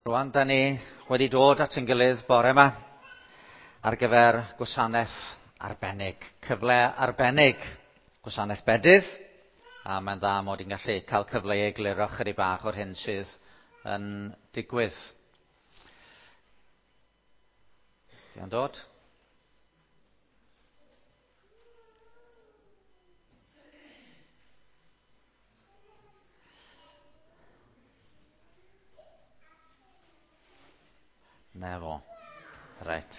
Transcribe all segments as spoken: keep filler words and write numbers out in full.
Rwan, da ni wedi dod at ein gilydd bore yma ar gyfer gwasanaeth arbennig, cyfle arbennig, gwasanaeth bedydd, a mae'n dda mod i'n gallu cael cyfle i egluro chydig bach o'r hyn sydd yn digwydd. Di o'n dod? Na fo. Reit.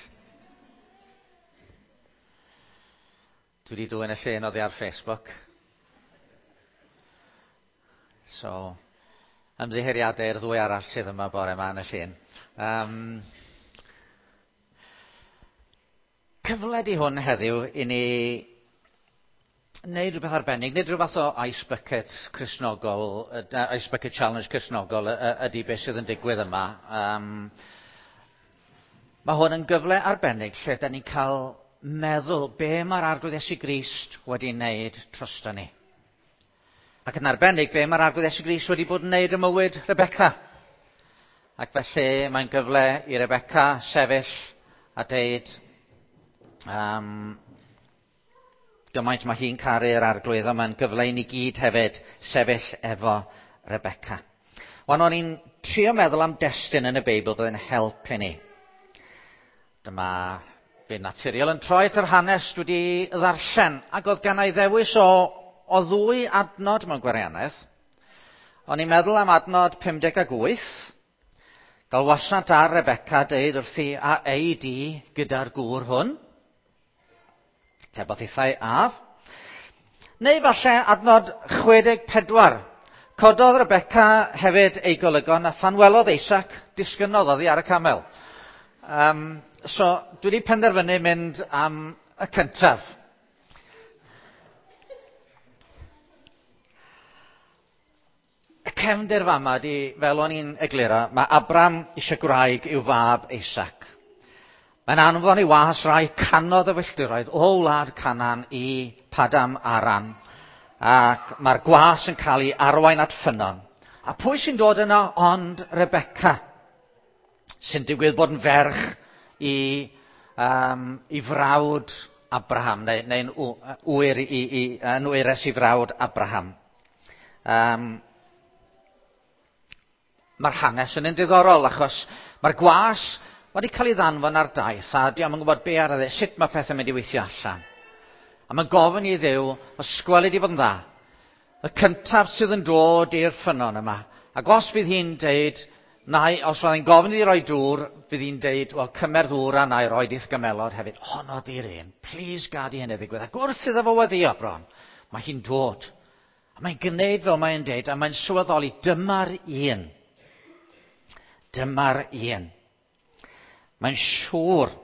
Dwi wedi dwyn y llun oddi ar Facebook. So, ymddiheuriadau i'r ddwy arall sydd yma bore yma yn y llun. Um, cyfle di hwn heddiw i ni wneud rhywbeth arbennig, nid rhywbeth o Ice Bucket Cristnogol, Ice Bucket Challenge Cristnogol ydy beth sydd yn digwydd yma. Um, Mae hwn yn gyfle arbennig lle da ni'n cael meddwl be mae'r Arglwydd Iesu Grist wedi wneud drosto ni. Ac yn arbennig, be mae'r Arglwydd Iesu Grist wedi bod yn wneud ym mywyd Rebecca. Ac felly mae'n gyfle i Rebecca sefyll a deud um, gymaint mae hi'n caru'r Arglwydd, a mae'n gyfle i ni gyd hefyd sefyll efo Rebecca. Wan o'n i'n trio meddwl am destun yn y Beibl byddai'n help i ni. Dyma fi'n naturiol yn troi at yr hanes dwi wedi ddarllen, ac oedd gan ei ddewis o, o ddwy adnod mewn gwirionedd. O'n i'n meddwl am adnod pum deg wyth, galwasant ar Rebecca deud wrthi a ei di gyda'r gŵr hwn. Tebodd hithau af. Neu falle adnod chwe deg pedwar. Cododd Rebecca hefyd ei golygon a phan welodd Isaac, disgynnodd oddi ar y camel. Um, So, dwi wedi penderfynu mynd am y cyntaf. Y cefndir fama di, fel o'n i'n egluro, mae Abram eisiau gwraig i'w fab Isaac. Mae'n anfon ei was rai canodd o filltiroedd o wlad Canaan i Padam Aram, ac mae'r gwas yn cael ei arwain at ffynnon. A pwy sy'n dod yno ond Rebecca, sy'n digwydd bod yn ferch i, um, i frawd Abraham, neu, neu'n wyr i, i, yn wyres i frawd Abraham. Um, mae'r hanes yn un diddorol, achos mae'r gwas wedi cael ei ddanfon ar daith, a dio'm yn gwybod be ar y sut mae pethau'n mynd i weithio allan. A mae'n gofyn i Dduw, os gweli di fod yn dda, y cyntaf sydd yn dod i'r ffynnon yma, ac os fydd hi'n deud, nai, os fyddai'n gofyn iddi roi dŵr, fydd hi'n deud, wel, cymer ddŵr a na i roi i'th gymelod hefyd. Honno di'r un. Please gad i hynny ddigwydd. Ac wrth iddo fo weddio bron, mae hi'n dod. A mae'n gwneud fel mae'n deud, a mae'n sylweddoli, dyma'r un. Dyma'r un. Mae'n siŵr.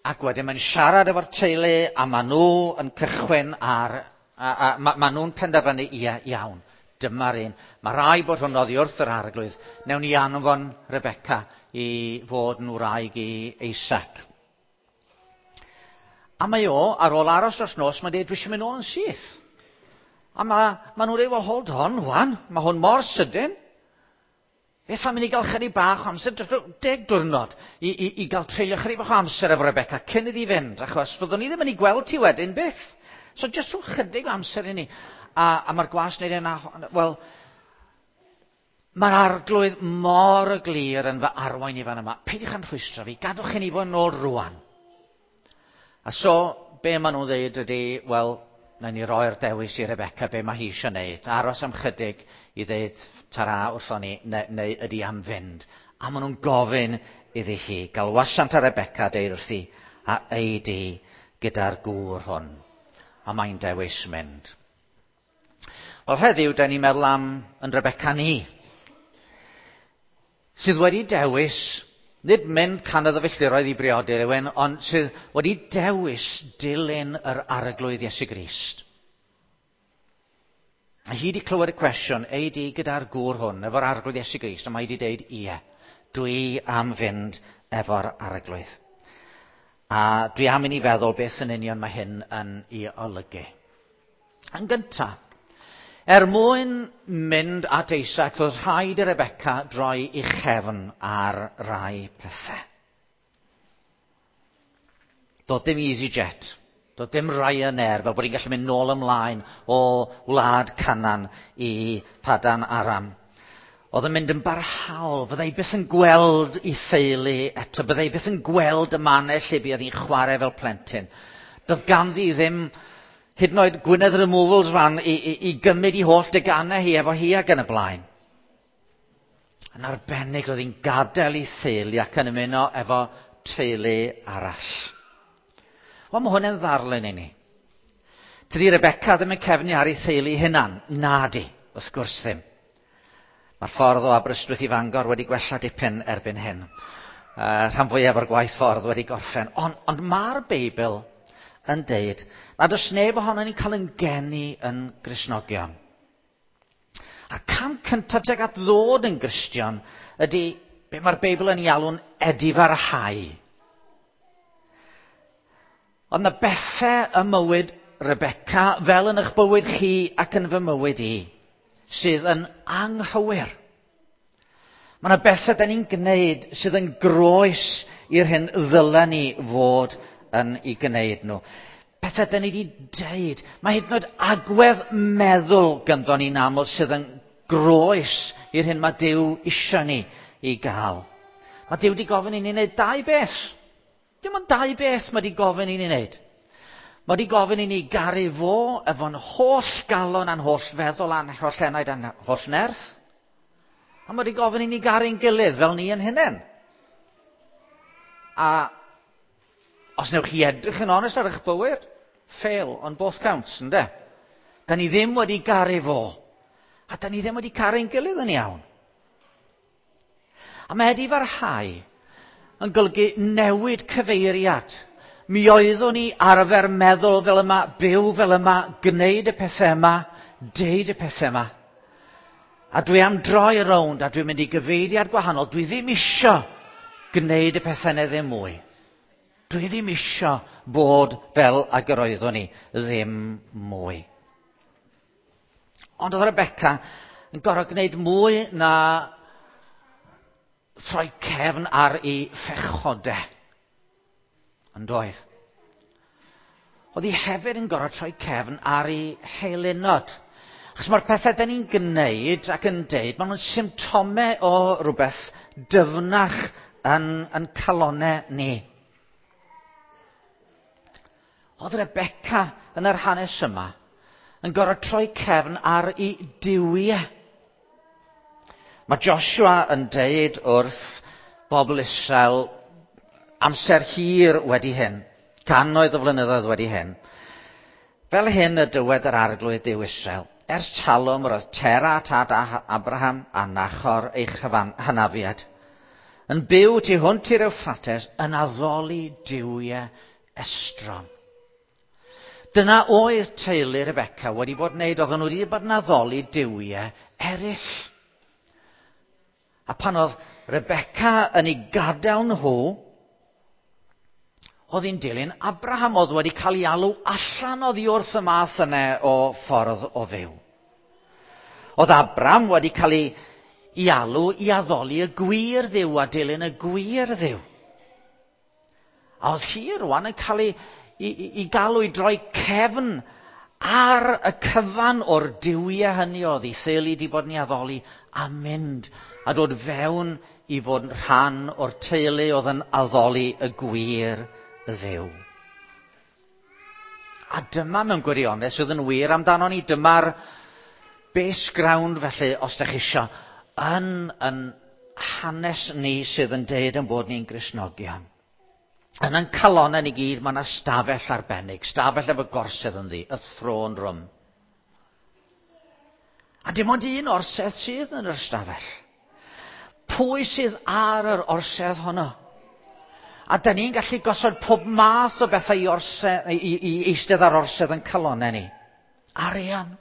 Ac wedyn mae'n siarad efo'r teulu, a maen nhw yn cychwyn ar, a, a, ma, ma nhw'n penderfynu, ie, iawn. Dyma'r un. Mae rai bod hwn oddi wrth yr Arglwydd. Newn ni anfon Rebecca i fod yn wraig i Isaac. A mae o, ar ôl aros dros nos, mae'n dweud, dwi eisiau mynd nôl yn syth. A mae ma nhw'n dweud, well, hold on, wan. Mae hwn mor sydyn. Beth am i ni gael chydig bach o amser, deg diwrnod, i, i, i gael treulio chydig bach o amser efo Rebecca cyn iddi fynd, achos fyddwn ni ddim yn ei gweld ti wedyn byth. So jyst rhyw chydig o amser i ni. A, a mae'r gwas wneud yna, wel, mae'r Arglwydd mor glir yn fy arwain i fan yma. Peidiwch â'n rhwystro fi, gadwch i ni fod yn ôl rwan. A so, be maen nhw'n dweud ydy, wel, na ni roi'r dewis i Rebecca be mae hi eisiau wneud. Aros am chydig i ddeud tara wrthon ni, neu, neu ydy am fynd. A maen nhw'n gofyn iddi hi, galwasant ar Rebecca deud wrthi, a ei di gyda'r gŵr hwn. A mae'n dewis mynd. Wel, heddiw, da ni'n meddwl am yn Rebecca ni, sydd wedi dewis, nid mynd canodd o filltiroedd i briodi rhywun, ond sydd wedi dewis dilyn yr Arglwydd Iesu Grist. A hi wedi clywed y cwestiwn, ei di gyda'r gŵr hwn, efo'r Arglwydd Iesu Grist, a mae wedi deud, ie, dwi am fynd efo'r Arglwydd. A dwi am i ni feddwl beth yn union mae hyn yn ei olygu. Yn gyntaf, Er mwyn mynd at Isaac, roedd rhaid i Rebecca droi ei chefn ar rai pethau. Doedd dim EasyJet, doedd dim Ryanair, fel bod hi'n gallu mynd nôl ymlaen o wlad Canaan i Padan Aram. Oedd yn mynd yn barhaol, fyddai byth yn gweld ei theulu eto, byddai byth yn gweld y mannau lle buodd hi'n chwarae fel plentyn. Doedd ganddi ddim hyd yn oed Gwynedd Removals fan i, i, i gymryd i holl deganau hi efo hi ac yn y blaen. Yn arbennig roedd hi'n gadael ei theulu ac yn ymuno efo teulu arall. Wel, mae hwn yn ddarlun i ni. Tydi Rebecca ddim yn cefnu ar ei theulu hunan. Na di, wrth gwrs ddim. Mae'r ffordd o Aberystwyth i Fangor wedi gwella dipyn erbyn hyn. Uh, rhan fwyaf o'r gwaith ffordd wedi gorffen. Ond, ond mae'r Beibl yn deud nad oes neb ohono ni'n cael yn geni yn Gristnogion. A'r cam cyntaf tuag at ddod yn Gristion ydy be mae'r Beibl yn ei alw'n edifarhau. Ond na bethau ym mywyd Rebecca, fel yn eich bywyd chi ac yn fy mywyd i, sydd yn anghywir. Mae yna bethau da ni'n gwneud sydd yn groes i'r hyn ddylen ni fod yn ei gwneud nhw. Bethau da ni wedi deud. Mae hyd yn oed agwedd meddwl ganddo ni'n aml sydd yn groes i'r hyn mae Duw eisiau ni i gael. Mae Duw wedi gofyn i ni wneud dau beth. Dim ond dau beth mae wedi gofyn i ni wneud. Mae wedi gofyn i ni garu fo efo'n holl galon a'n holl feddwl a'n holl enaid a'n holl nerth. A mae wedi gofyn i ni garu'n gilydd fel ni yn hunain. A os newch chi edrych yn onest ar eich bywyd, fail on both counts, ynde? Da ni ddim wedi garu fo. A da ni ddim wedi caru'n gilydd yn iawn. A mae edifarhau yn golygu newid cyfeiriad. Mi oeddwn ni arfer meddwl fel yma, byw fel yma, gwneud y pethau yma, deud y pethau yma. A dwi am droi rownd a dwi'n mynd i gyfeiriad gwahanol. Dwi ddim isio gwneud y pethau yna ddim mwy. Dwi ddim isio bod fel ag yr oeddwn ni ddim mwy. Ond oedd Rebecca yn gorfod gwneud mwy na throi cefn ar ei phechodau. Yn doedd. Oedd hi hefyd yn gorfod troi cefn ar ei heilunod. Achos mae'r pethau da ni'n gwneud ac yn deud, maen nhw'n symptomau o rhywbeth dyfnach yn, yn calonau ni. Oedd Rebecca yn yr hanes yma yn gorfod troi cefn ar ei duwiau. Mae Joshua yn deud wrth bobl Israel amser hir wedi hyn, cannoedd o flynyddoedd wedi hyn. Fel hyn y dywed yr Arglwydd Duw Israel, ers talwm roedd Tera tad Abraham a Nachor ei hynafiad, yn byw tu hwnt i'r Euphrates yn addoli duwiau estron. Dyna oedd teulu Rebecca wedi bod yn wneud, oedden nhw wedi bod yn addoli duwiau eraill. A pan oedd Rebecca yn ei gadael nhw, oedd hi'n dilyn Abraham, oedd wedi cael ei alw allan oddi wrth y math yna o ffordd o fyw. Oedd Abraham wedi cael ei, ei alw i addoli y gwir Dduw a dilyn y gwir Dduw. A oedd hi rwan yn cael ei, i, i, i galw i droi cefn ar y cyfan o'r duwiau hynny oedd ei theulu wedi bod yn ei addoli a mynd a dod fewn i fod yn rhan o'r teulu oedd yn addoli y gwir Dduw. A dyma mewn gwirionedd sydd yn wir amdano ni. Dyma'r base ground felly, os ydych chi isio, yn, yn hanes ni sydd yn deud yn bod ni'n Gristnogion. Yn ein calonau ni gyd, mae yna stafell arbennig, stafell efo gorsedd ynddi, y throne room. A dim ond un orsedd sydd yn yr stafell. Pwy sydd ar yr orsedd honno? A da ni'n gallu gosod pob math o bethau i, orsedd, i, i, i eistedd ar orsedd yn calonau ni. Arian,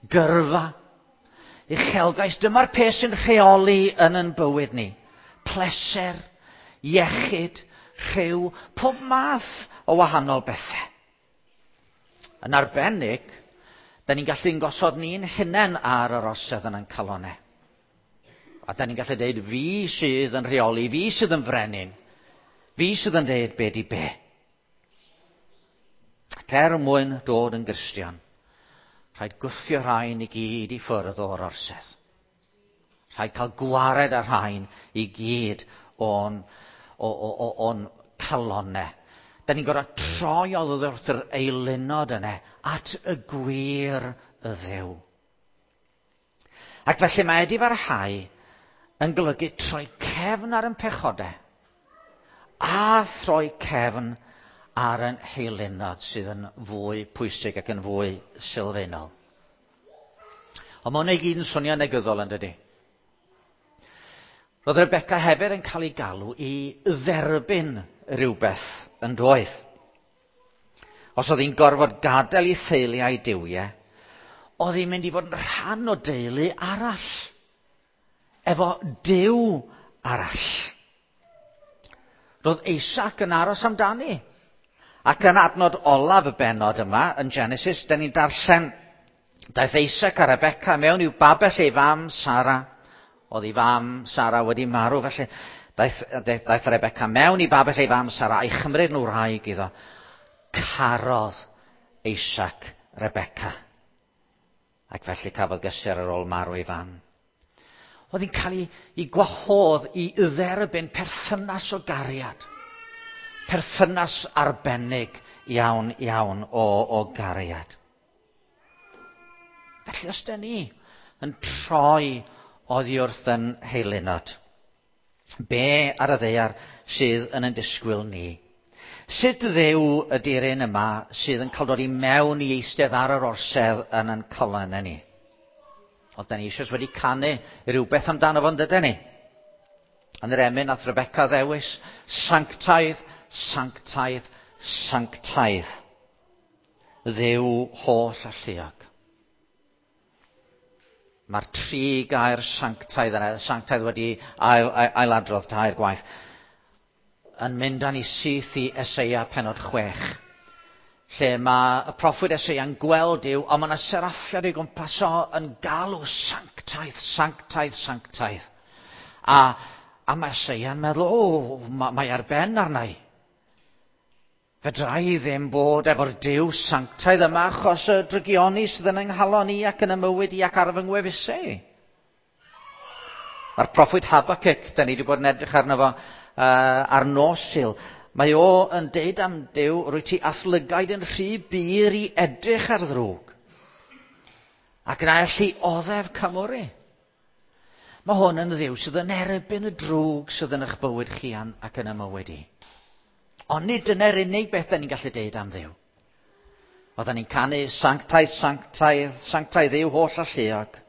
gyrfa, uchelgais. Dyma'r peth sy'n rheoli yn yn bywyd ni. Pleser, iechyd, rhyw, pob math o wahanol bethau. Yn arbennig, Da ni'n gallu'n gosod ni'n hunain ar yr orsedd yn ein calonau. A da ni'n gallu deud, fi sydd yn rheoli, fi sydd yn frenin, fi sydd yn deud be di be. Ac er mwyn dod yn Gristion, rhaid gwthio rhain i gyd i ffwrdd o'r orsedd. Rhaid cael gwared ar rhain i gyd o'n, o, o, o, o'n calonau. Da ni'n gorfod troi oddi wrth yr eilunod yna at y gwir y Dduw. Ac felly mae edifarhau yn golygu troi cefn ar ein pechodau a throi cefn ar ein heilunod sydd yn fwy pwysig ac yn fwy sylfaenol. Ond mae hwnna i gyd yn swnio negyddol, yn dydy? Roedd Rebecca hefyd yn cael ei galw i dderbyn rhywbeth yn doedd. Os oedd hi'n gorfod gadael ei theulu a'i duwiau, oedd hi'n mynd i fod yn rhan o deulu arall, efo Duw arall. Roedd Isaac yn aros amdani. Ac yn adnod olaf y bennod yma, yn Genesis, da ni'n darllen, daeth Isaac a Rebecca mewn i'w babell ei fam, Sara. Oedd ei fam, Sara, wedi marw, felly daeth, daeth Rebecca mewn i babell ei fam, Sara, a'i chymryd nhw wraig iddo. Carodd Isaac Rebecca. Ac felly cafodd gysur ar ôl marw ei fam. Oedd hi'n cael ei, ei gwahodd i dderbyn perthynas o gariad. Perthynas arbennig iawn, iawn o, o gariad. Felly os da ni yn troi oddi wrth yn heilunod, be ar y ddaear sydd yn yn disgwyl ni? Sut Dduw ydy'r un yma sydd yn cael dod i mewn i eistedd ar yr orsedd yn yn calonnau ni? Oedd da ni eisoes wedi canu rhywbeth amdano fo'n dydyn ni? Yn yr emyn nath Rebecca ddewis, sanctaidd, sanctaidd, sanctaidd. Dduw holl alluog. Mae'r tri gair sanctaidd yna, sanctaidd wedi ail, ail, ailadrodd tair gwaith, yn mynd â ni syth i Eseia pennod chwech, lle mae y proffwyd Eseia'n gweld Duw, ond mae yna seraffiad o'i gwmpas o yn galw sanctaidd, sanctaidd, sanctaidd. A, a mae Eseia'n meddwl, o, mae, mae ar ben arna i. Fedra i ddim bod efo'r Duw sanctaidd yma achos y drygioni sydd yn yng nghalon i ac yn y mywyd i ac ar fy ngwefusau i. Mae'r proffwyd Habacuc, da ni wedi bod yn edrych arno fo uh, ar nos Sul. Mae o yn deud am Duw, rwyt ti a'th lygaid yn rhy bur i edrych ar ddrwg. Ac na elli oddef cymwri. Mae hwn yn Dduw sydd yn erbyn y drwg sydd yn eich bywyd chi ac yn y mywyd i. Ond nid dyna'r unig beth da ni'n gallu deud am Dduw. Oedden ni'n canu sanctaidd, sanctaidd, sanctaidd yw holl alluog.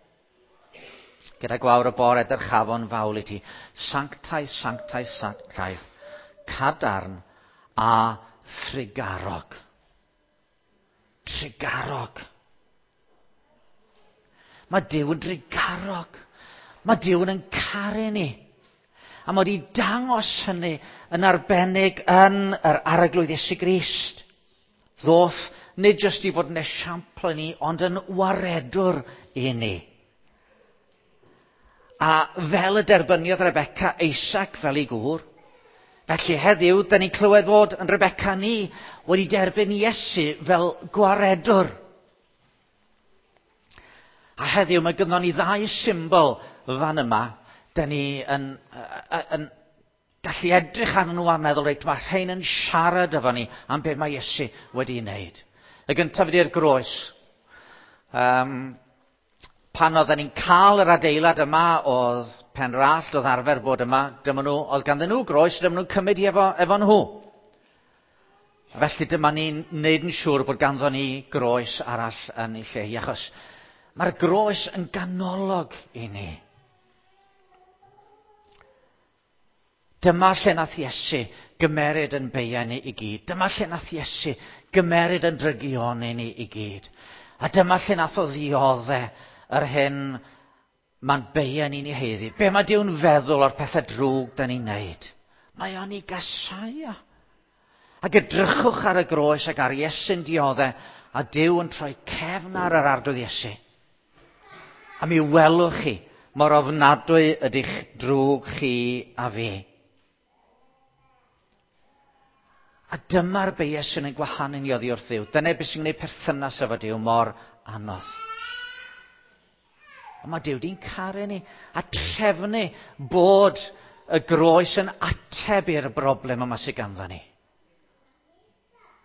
Gyda gwawr y bore dyrchafon fawl i ti. Sanctaidd, sanctaidd, sanctaidd. Cadarn a thrugarog. Trugarog. Mae Duw yn drugarog. Mae Duw yn caru ni. A mae wedi dangos hynny yn arbennig yn yr Arglwydd Iesu Grist. Ddoth nid jyst i fod yn esiampl i ni, ond yn waredwr i ni. A fel y derbyniodd Rebecca Isaac fel ei gŵr, felly heddiw, da ni'n clywed fod yn Rebecca ni wedi derbyn Iesu fel gwaredwr. A heddiw mae gynnon ni ddau symbol fan yma. Da ni yn, yn, yn gallu edrych arnyn nhw a meddwl, reit, mae rhain yn siarad efo ni am beth mae Iesu wedi wneud. Y gyntaf ydy'r groes. Um, pan oedden ni'n cael yr adeilad yma, oedd Penrallt, oedd arfer bod yma, dyma nhw, oedd ganddyn nhw groes, dyma nhw'n cymryd i efo, efo nhw. Felly dyma ni'n neud yn siŵr bod ganddo ni groes arall yn ei lle hi, achos mae'r groes yn ganolog i ni. Dyma lle nath Iesu gymeryd yn beiau ni i gyd. Dyma lle nath Iesu gymeryd yn drygioni ni i gyd. A dyma lle nath o ddiodde yr hyn mae'n beiau ni'n ei haeddu. Be mae Duw'n feddwl o'r pethau drwg da ni'n neud? Mae o'n ei gasau o. Ac edrychwch ar y groes ac ar Iesu'n diodde A Duw yn troi cefn ar yr Arglwydd Iesu. A mi welwch chi mor ofnadwy ydych drwg chi a fi. A dyma'r bias sy'n ein gwahanu ni oddi wrth Dduw. Dyna beth sy'n gwneud perthynas efo Duw mor anodd. Ond mae Duw di'n caru ni a trefnu bod y groes yn ateb i'r broblem yma sydd ganddo ni.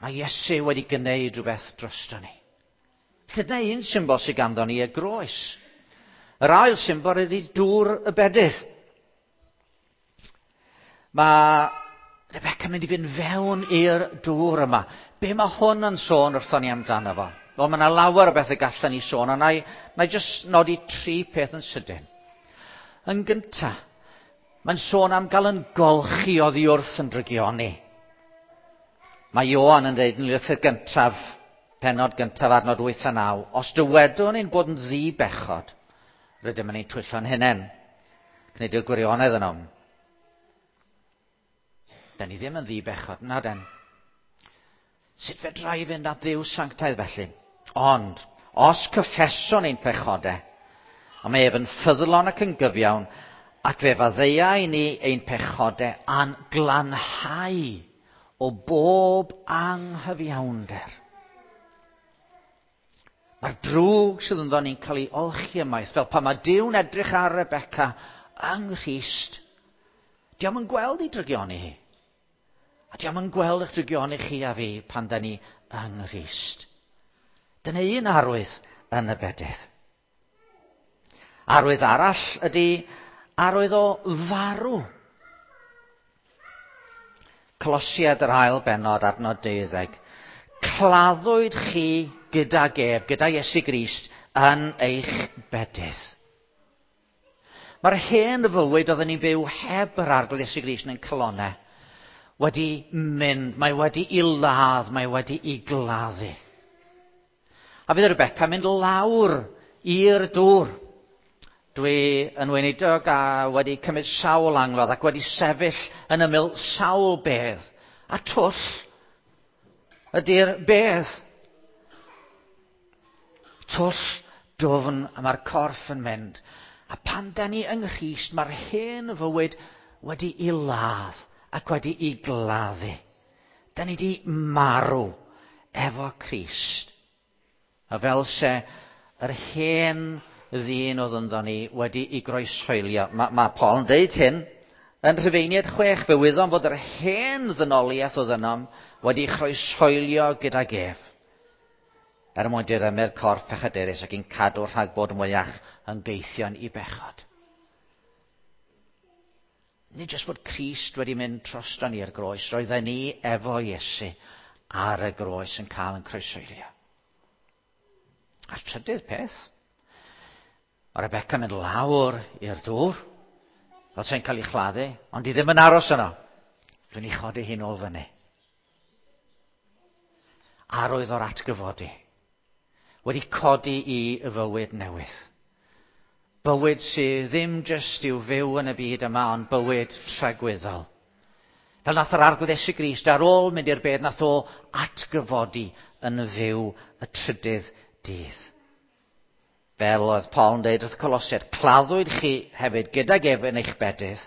Mae Iesu wedi gwneud rhywbeth drosto ni. Felly dyna un symbol sydd ganddo ni, y groes. Yr ail symbol ydy dŵr y bedydd. Mae Rebecca yn mynd i fynd fewn i'r dŵr yma. Be mae hwn yn sôn wrthon ni amdano fo? Wel, mae yna lawer o bethau gallan ni sôn, ond na i, na i jyst nodi tri peth yn sydyn. Yn gyntaf, mae'n sôn am gael yn golchi oddi wrth yn drygioni. Mae Ioan yn dweud yn lythyr gyntaf, pennod gyntaf adnod wyth a naw, os dywedwn ein bod yn ddi-bechod, rydym yn ein twyllo'n hunain. Gwneud yw'r gwirionedd yno. Da ni ddim yn ddi-bechod, na den. Sut fedra i fynd at Dduw sanctaidd felly? Ond, os cyffeswn ein pechodau, a mae ef yn ffyddlon ac yn gyfiawn, ac fe faddeia i ni ein pechodau a'n glanhau o bob anghyfiawnder. Mae'r drwg sydd ynddo ni'n cael ei olchi ymaith, fel pan mae Duw'n edrych ar Rebecca yng Nghrist, dio'm yn gweld ei drygioni hi. A dio'm yn gweld eich drygioni chi a fi pan da ni yng Nghrist. Dyna un arwydd yn y bedydd. Arwydd arall ydy arwydd o farw. Colosiaid yr ail bennod, adnod deuddeg. Claddwyd chi gydag ef, gyda Iesu Grist, yn eich bedydd. Mae'r hen fywyd oedden ni'n byw heb yr Arglwydd Iesu Grist yn ein calonnau wedi mynd, mae wedi i ladd, mae wedi i gladdu. A fydd Rebecca mynd lawr i'r dŵr. Dwi yn weinidog a wedi cymryd sawl angladd ac wedi sefyll yn ymyl sawl bedd. A twll ydy'r bedd. Twll dwfn a mae'r corff yn mynd. A pan da ni yng Nghrist, mae'r hen fywyd wedi i ladd ac wedi i gladdu. Da ni di marw efo Crist. A fel se yr hen ddyn oedd ynddo ni wedi i groeshoelio. Mae ma Paul yn deud hyn yn Rhufeiniaid chwech. Fe wyddom fod yr hen ddynoliaeth oedd ynom wedi chroeshoelio gydag ef, er mwyn dirymu'r corff pechadurus ac i'n cadw rhag bod mwyach yn geithion i bechod. Nid jyst bod Crist wedi mynd drosto ni i'r groes, roedden ni efo Iesu ar y groes yn cael yn croeshoelio. A'r trydydd peth, mae Rebecca mynd lawr i'r dŵr, fel sy'n cael ei chladdu, ond di ddim yn aros yno. Dwi'n ei chodi hi'n ôl fyny. Arwydd o'r atgyfodi. Wedi codi i fywyd newydd. Bywyd sydd ddim jyst i'w fyw yn y byd yma, ond bywyd tragwyddol. Fel nath yr Arglwydd Iesu Grist ar ôl mynd i'r bedd, nath o atgyfodi yn fyw y trydydd dydd. Fel oedd Paul yn dweud wrth Colosiaid, claddwyd chi hefyd gydag ef yn eich bedydd,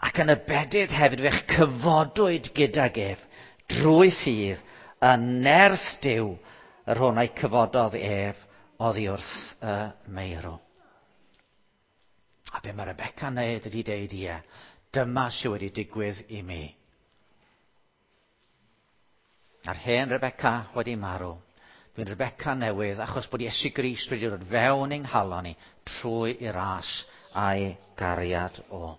ac yn y bedydd hefyd fe'ch cyfodwyd gydag ef drwy ffydd yn nerth Duw, yr hwn a'i cyfododd ef oddi wrth y meirw. A be mae Rebecca'n neud ydy deud, ie, dyma sydd wedi digwydd i mi. A'r hen Rebecca wedi marw. Dwi'n Rebecca newydd achos bod Iesu Grist wedi dod fewn i'n nghalon ni trwy i ras a'i gariad o.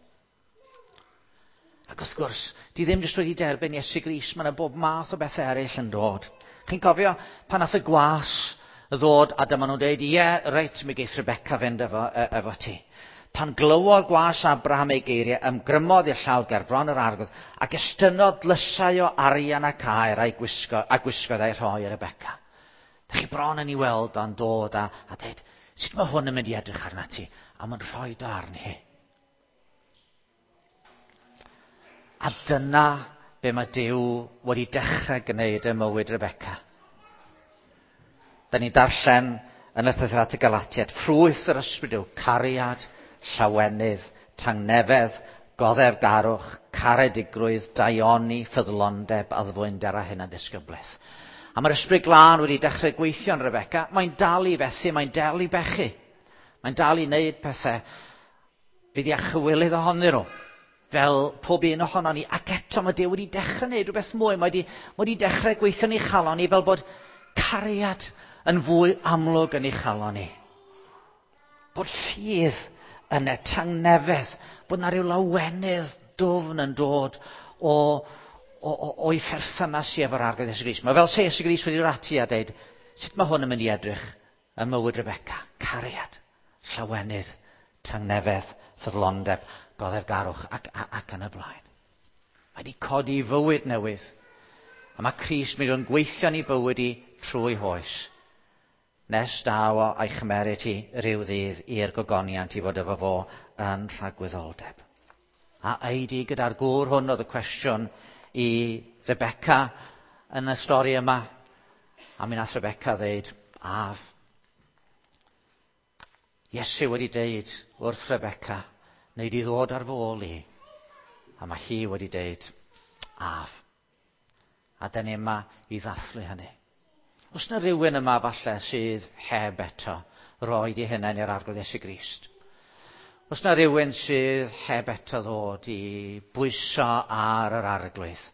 Ac wrth gwrs, di ddim jyst wedi derbyn Iesu Grist, mae yna bob math o bethau eraill yn dod. Chi'n cofio pan nath y gwas ddod a dyma nhw'n dweud, ie, reit, mi geith Rebecca fynd efo, efo ti. Pan glywodd gwas Abraham ei geiriau, ymgrymodd i'r llawr ger bron yr Arglwydd ac estynnodd dlysau o arian ac aur a'i gwisgo, a gwisgodd a'i rhoi i Rebecca. Da chi bron yn ei weld o'n dod a, a dweud, sut mae hwn yn mynd i edrych arna ti? A mae'n rhoi do arni hi. A dyna be mae Duw wedi dechrau gwneud ym mywyd Rebecca. Da ni'n darllen yn y llythyr at y Galatiaid, ffrwyth yr ysbryd yw cariad, llawenydd, tangnefedd, goddefgarwch, caredigrwydd, daioni, ffyddlondeb, addfwynder a hunanddisgyblaeth. A mae'r ysbryd glân wedi dechrau gweithio yn Rebecca. Mae'n dal i fethu, mae'n dal i bechu. Mae'n dal i wneud pethau fydd i chywilydd ohonyn nhw, fel pob un ohonon ni. Ac eto mae Duw wedi dechrau wneud rhywbeth mwy. Mae wedi, mae wedi dechrau gweithio yn ei chalon ni fel bod cariad yn fwy amlwg yn ei chalon ni. Bod ffydd yn y tangnefedd, bod na ryw lawenydd dwfn yn dod o, o, o, o'i pherthynas i efo'r Arglwydd Iesu Grist. Mae fel se Iesu Grist wedi dod ati a dweud, sut mae hwn yn mynd i edrych ym mywyd Rebecca? Cariad, llawenydd, tangnefedd, ffyddlondeb, goddefgarwch ac, ac, ac yn y blaen. Mae wedi codi i fywyd newydd. A mae Crist mynd o'n gweithio yn ei bywyd i trwy hoes. Nes daw o a'i chymeryd hi ryw ddydd i'r gogoniant i fod efo fo yn rhagwyddoldeb. A eidi gyda'r gŵr hwn oedd y cwestiwn i Rebecca yn y stori yma. A mi nath Rebecca ddeud, af. Iesu wedi deud wrth Rebecca, wneud i ddod ar fy ôl i. A mae hi wedi deud, af. A dyn ni yma i ddathlu hynny. Oes na rhywun yma falle sydd heb eto roed i hunain i'r Arglwydd Iesu Grist? Oes na rhywun sydd heb eto ddod i bwyso ar yr Arglwydd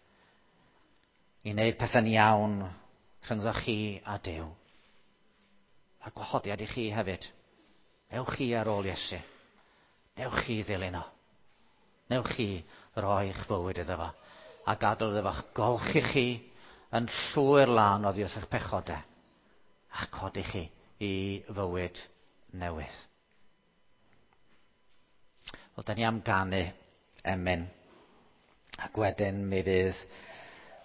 i wneud pethau'n iawn rhyngddo chi a Duw? A gwahoddiad i chi hefyd. Newch chi ar ôl Iesu. Newch chi ddilyn o. Newch chi roi eich bywyd iddo fo. A gadael iddo fo'ch golchi chi yn llwyr lân oddi wrth eich pechodau a codi chi i fywyd newydd. Wel, da ni am ganu emyn, ac wedyn mi fydd,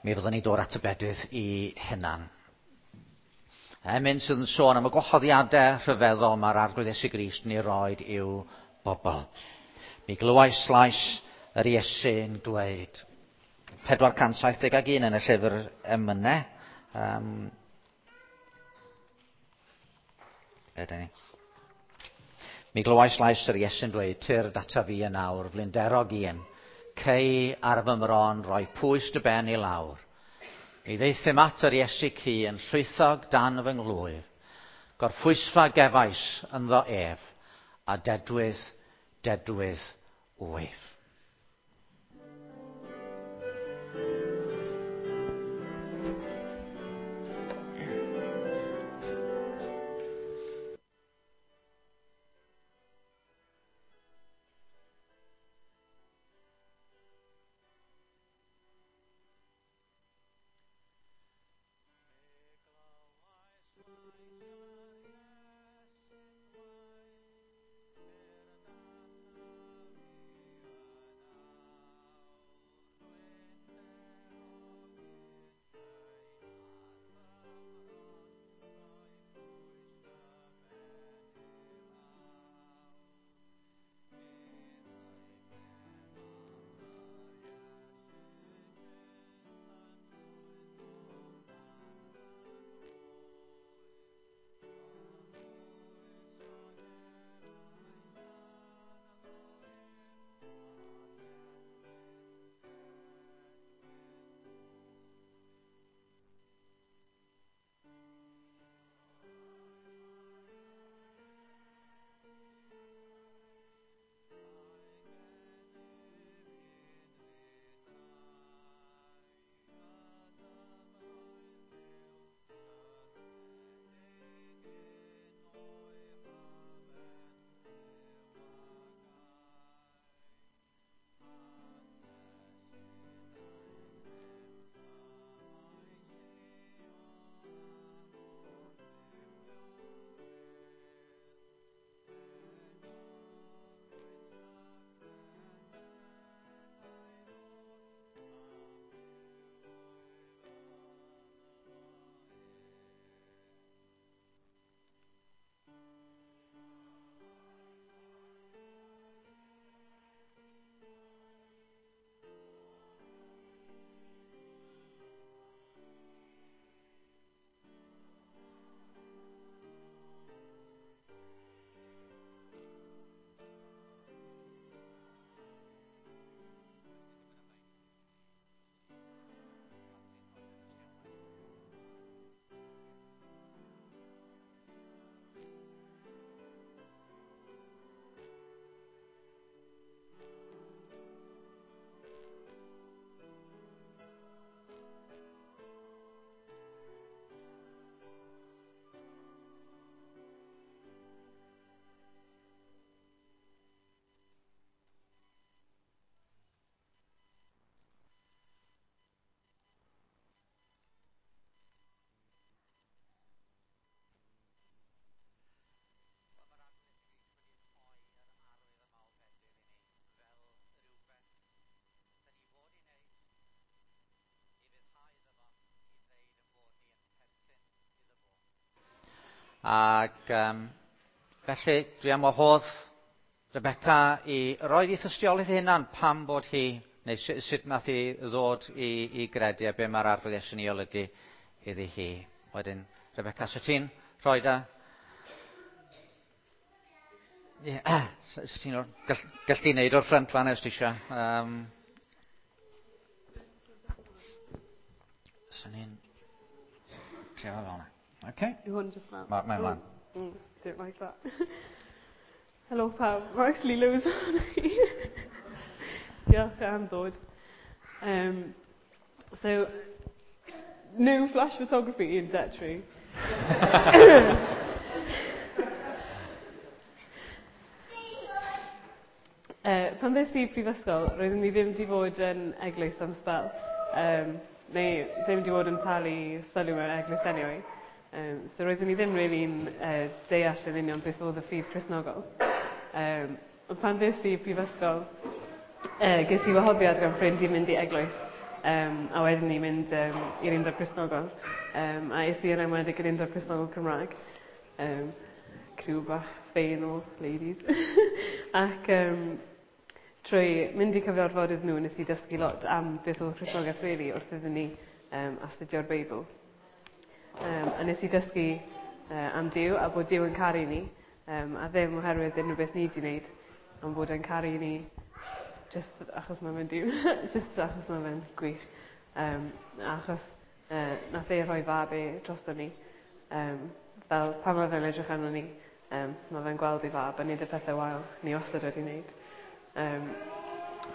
mi fyddwn ni dod at y bedydd i hunan. Emyn sydd yn sôn am y gwahoddiadau rhyfeddol mae'r Arglwydd Iesu Grist yn ei roed i'w bobl. Mi glywais lais yr Iesu'n dweud, pedwar cant saith deg un yn y llyfr emynau. Um, Ydyn ni. Mi glywais lais yr Iesu'n dweud, tyrd ata fi yn awr, flinderog un, cei ar fy mron roi pwys dy ben i lawr. Mi ddeithum at yr Iesu cu yn llwythog dan fy nglwyf. Gorffwysfa gefais ynddo ef, a dedwydd, dedwydd wyf. Ac um, felly dwi am wahodd Rebecca i roi ei thystiolaeth ei hunan pam bod hi, neu sut nath hi ddod i, i gredu a be mae'r Arglwydd Iesu'n ei olygu iddi hi. Wedyn, Rebecca, so ti'n rhoi da? Ie, yeah, so ti'n gall, gall ti wneud o'r ffrynt fan os ti eisiau. Um, so ni'n trio fel yna. Okay. Yw hwn just fel? Ma, mae'n mlaen. Mm, don't like that. Helo pawb, mae actually loads o'n chi. Diolch am ddod. Um, so, no flash photography in Detri. uh, pan ddes i prifysgol, roeddwn i ddim wedi bod yn eglwys am sbel. Um, neu ddim wedi bod yn talu sylw mewn eglwys anyway. Um, so roeddwn i ddim really'n uh, deall yn union beth oedd y ffydd Cristnogol. Um, ond pan ddes i prifysgol, uh, ges i wahoddiad gan ffrind i mynd i eglwys. Um, a wedyn i mynd um, i'r Undeb Cristnogol. Um, a es i yn enwedig i'r Undeb Cristnogol Cymraeg. Um, criw bach ffein o ladies. Ac um, trwy mynd i cyfarfodydd nhw, nes i dysgu lot am beth oedd Cristnogaeth really wrth iddyn ni um, astudio'r Beibl. Um, a nes i dysgu uh, am Duw a bod Duw yn caru ni, um, a ddim oherwydd unrhyw beth ni wedi wneud, ond bod e'n caru ni just achos mae fe'n Duw, just achos mae fe'n gwych. Um, achos uh, nath e rhoi fab e drosto ni. Um, fel pan mae fe'n edrych arno ni, um, mae fe'n gweld ei fab a neud y pethau wael ni wastad wedi wneud. Um,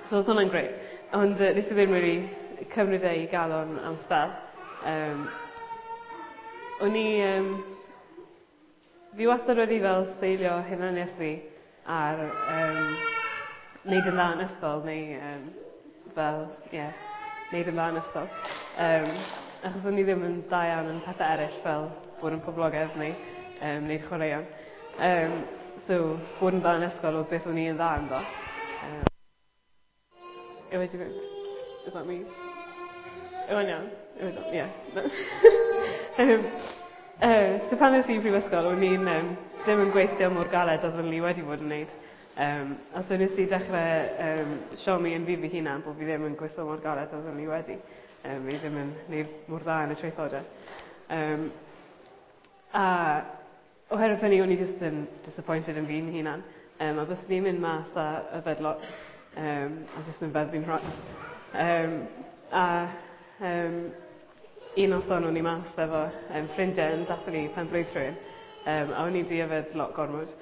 so oedd hwnna'n grêt. Ond uh, nes i ddim really cymryd e i galon am sbel. Um, o'n i... Um, fi wastad wedi fel seilio hunaniaeth fi ar um, wneud yn dda yn ysgol, neu um, fel, ie, yeah, wneud yn dda yn ysgol. Um, achos o'n i ddim yn dda iawn yn pethau eraill fel bod yn poblogaidd neu um, wneud chwaraeon. Um, so, bod yn dda yn ysgol oedd beth o'n i yn dda ynddo. Um, Yw wedi fynd? Is that me? Yw e'n iawn? Yw e'n iawn? Yeah. um, uh, so pan es i prifysgol, o'n i'n um, ddim yn gweithio mor galed oedd o'n i wedi bod yn wneud. Um, a so nes i dechrau um, siomi yn fi fy hunan bod fi ddim yn gweithio mor galed oedd o'n i wedi. Um, fi ddim yn gwneud mor dda yn y traethodau. Um, a oherwydd hynny, o'n i just yn disappointed yn fi'n hunan. Um, a byswn i'n mynd mas a yfed lot, um, a jyst yn feddwi'n rhan. Um, a um, un noson o'n i mas efo um, ffrindiau yn dathlu pen blwydd rhywun, um, a o'n i di yfed lot gormod.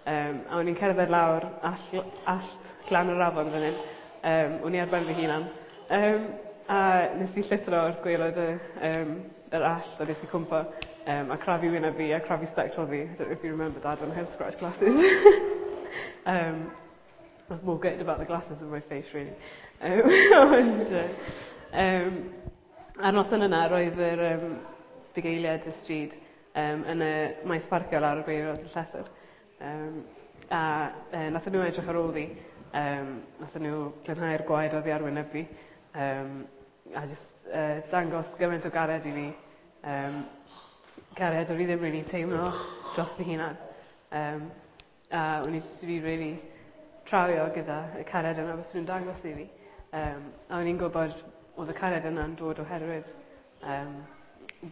Um, a o'n i'n cerdded lawr all, all glan yr afon fan hyn. Um, o'n i ar ben fy hunan. Um, a nes i llithro wrth gwaelod y, um, yr allt, a nes i cwmpo, um, a crafu wyneb fi a crafu spectol fi. I don't know if you remember Dad when I had scratch glasses. um, I was more gutted about the glasses in my face, really. Um, ond, uh, um, a'r noson yna, roedd yr um, bugeiliaid y stryd um, yn y maes parcio lawr y gwaelod y llethr. Um, a uh, nathon nhw edrych ar ôl fi, um, nathon nhw glanhau'r gwaed oddi ar wyneb fi, um, a just uh, dangos gymaint o gariad i fi, um, cariad o'n i ddim really teimlo dros fy hunan. Um, a o'n i jyst wedi really trawio gyda y cariad yna bys nhw'n dangos i fi. Um, a o'n i'n gwybod oedd y cariad yna'n dod oherwydd um,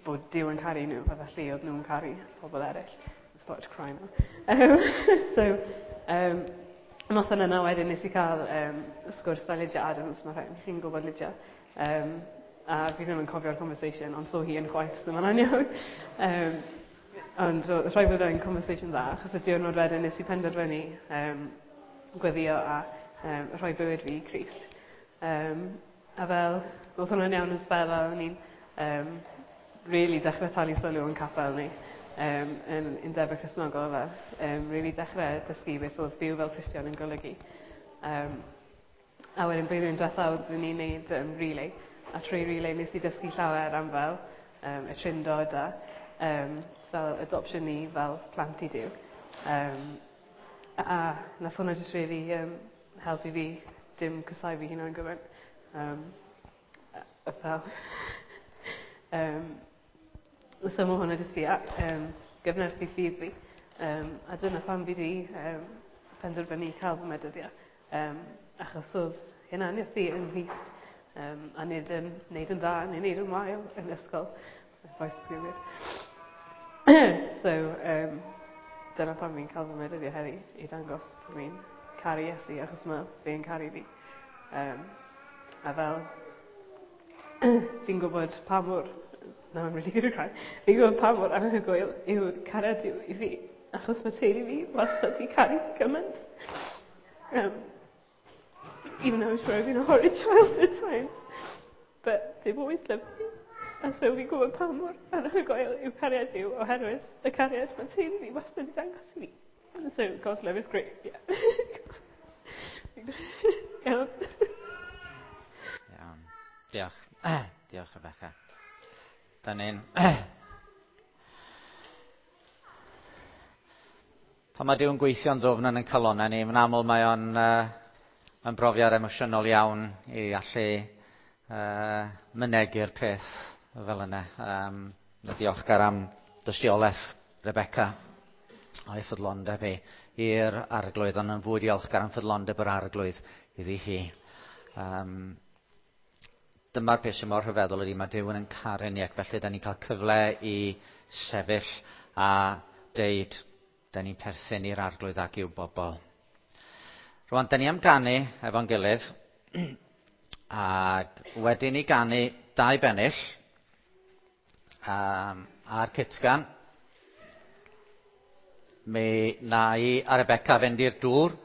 bod Duw yn caru nhw, a felly oedd nhw'n caru pobl eraill. I started to cry now. Um, so, um, noson yna wedyn nes i cael um, sgwrs â Lydia Adams, mae rhaid chi'n gwybod Lydia. Um, a fi ddim yn cofio'r conversation, ond so hi yn chwaith, so mae'n iawn. Um, ond rhaid bod e'n conversation dda, achos y diwrnod wedyn nes i penderfynu um, gweddio a um, rhoi bywyd fi i Crist. Um, a fel, oedd hwnna'n iawn yn sbel, a o'n i'n um, really dechrau talu sylw yn capel ni, um, yn Undeb y Cristnogol, a um, really dechrau dysgu beth oedd byw fel Cristion yn golygu. Um, a wedyn blwyddyn diwethaf oeddwn ni'n neud um, relay, a trwy relay nes i dysgu llawer am fel um, y trindod a um, fel adoption ni fel plant i Duw. Um, a nath hwnna just really um, helpu fi dim cysau fi hunan gymaint. Um, fel, um, so mae hwnna jyst i um, gyfnerthu ffydd fi. Um, a dyna pam fi di um, penderfynu cael fy medyddio. Um, achos oedd hunaniaeth fi yng Nghrist um, a nid yn neud yn dda neu neud yn wael yn ysgol. Voice is weird. So, um, dyna pam fi'n cael fy medyddio heddi, i dangos bod fi'n caru Iesu, achos mae fe'n caru fi. Um, a fel, fi'n gwybod pa mor, now I'm really going to cry, fi'n gwybod pa mor anhygoel yw cariad Duw i fi, achos mae teulu fi wastad i caru gymaint. Um, even though I'm sure I've been a horrid child at times, but they've always loved me. A so fi'n gwybod pa mor anhygoel yw cariad Duw oherwydd y cariad mae teulu fi wastad i dangos i fi. So God's love is great, yeah. Iawn. Iawn. Diolch. Diolch, Rebecca. Da ni'n... Pan mae Duw'n gweithio'n ddwfn yn ein calonnau ni, mae'n aml mae o'n uh, yn brofiad emosiynol iawn i allu uh, mynegu'r peth fel yna. Um, diolchgar am dystiolaeth Rebecca a'i ffyddlondeb hi i'r arglwydd, ond yn fwy diolchgar am ffyddlondeb yr arglwydd iddi hi. Um, dyma'r peth sy'n mor rhyfeddol ydy mae Duw yn caru ni, ac felly da ni'n cael cyfle i sefyll a deud da ni'n perthyn i'r arglwydd ac i'w bobl. Rwan, da ni am ganu efo'n gilydd, ac wedyn ni ganu dau bennill um, a'r cytgan. Mi na i a Rebecca fynd i'r dŵr.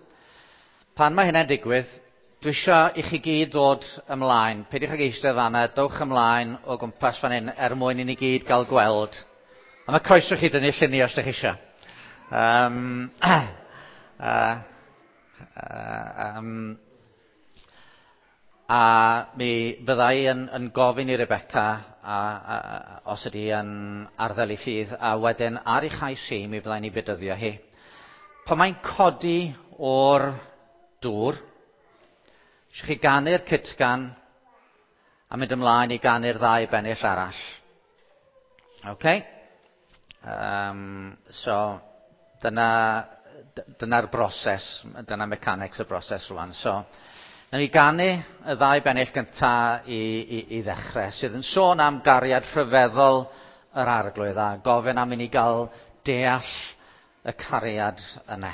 Pan mae hynna'n digwydd, dwi eisiau i chi gyd ddod ymlaen. Peidiwch ag eistedd fan'na, dowch ymlaen o gwmpas fan hyn er mwyn i ni gyd gael gweld. A mae croeso chi dynnu lluniau os ydych chi eisiau. Um, uh, uh, um, a mi fyddai yn, yn gofyn i Rebecca a, a, a, os ydy yn arddel ei ffydd, a wedyn ar ei chais hi, mi fyddai'n ei bedyddio hi. Pan mae'n codi o'r dŵr, eisiau chi ganu'r cytgan a mynd ymlaen i ganu'r ddau bennill arall. Okay? Um, so, dyna, dyna'r broses, dyna mechanics y broses rwan. So, nawn ni ganu y ddau bennill gynta i, i, i ddechrau, sydd yn sôn am gariad rhyfeddol yr arglwydd a gofyn am i ni gael deall y cariad yna.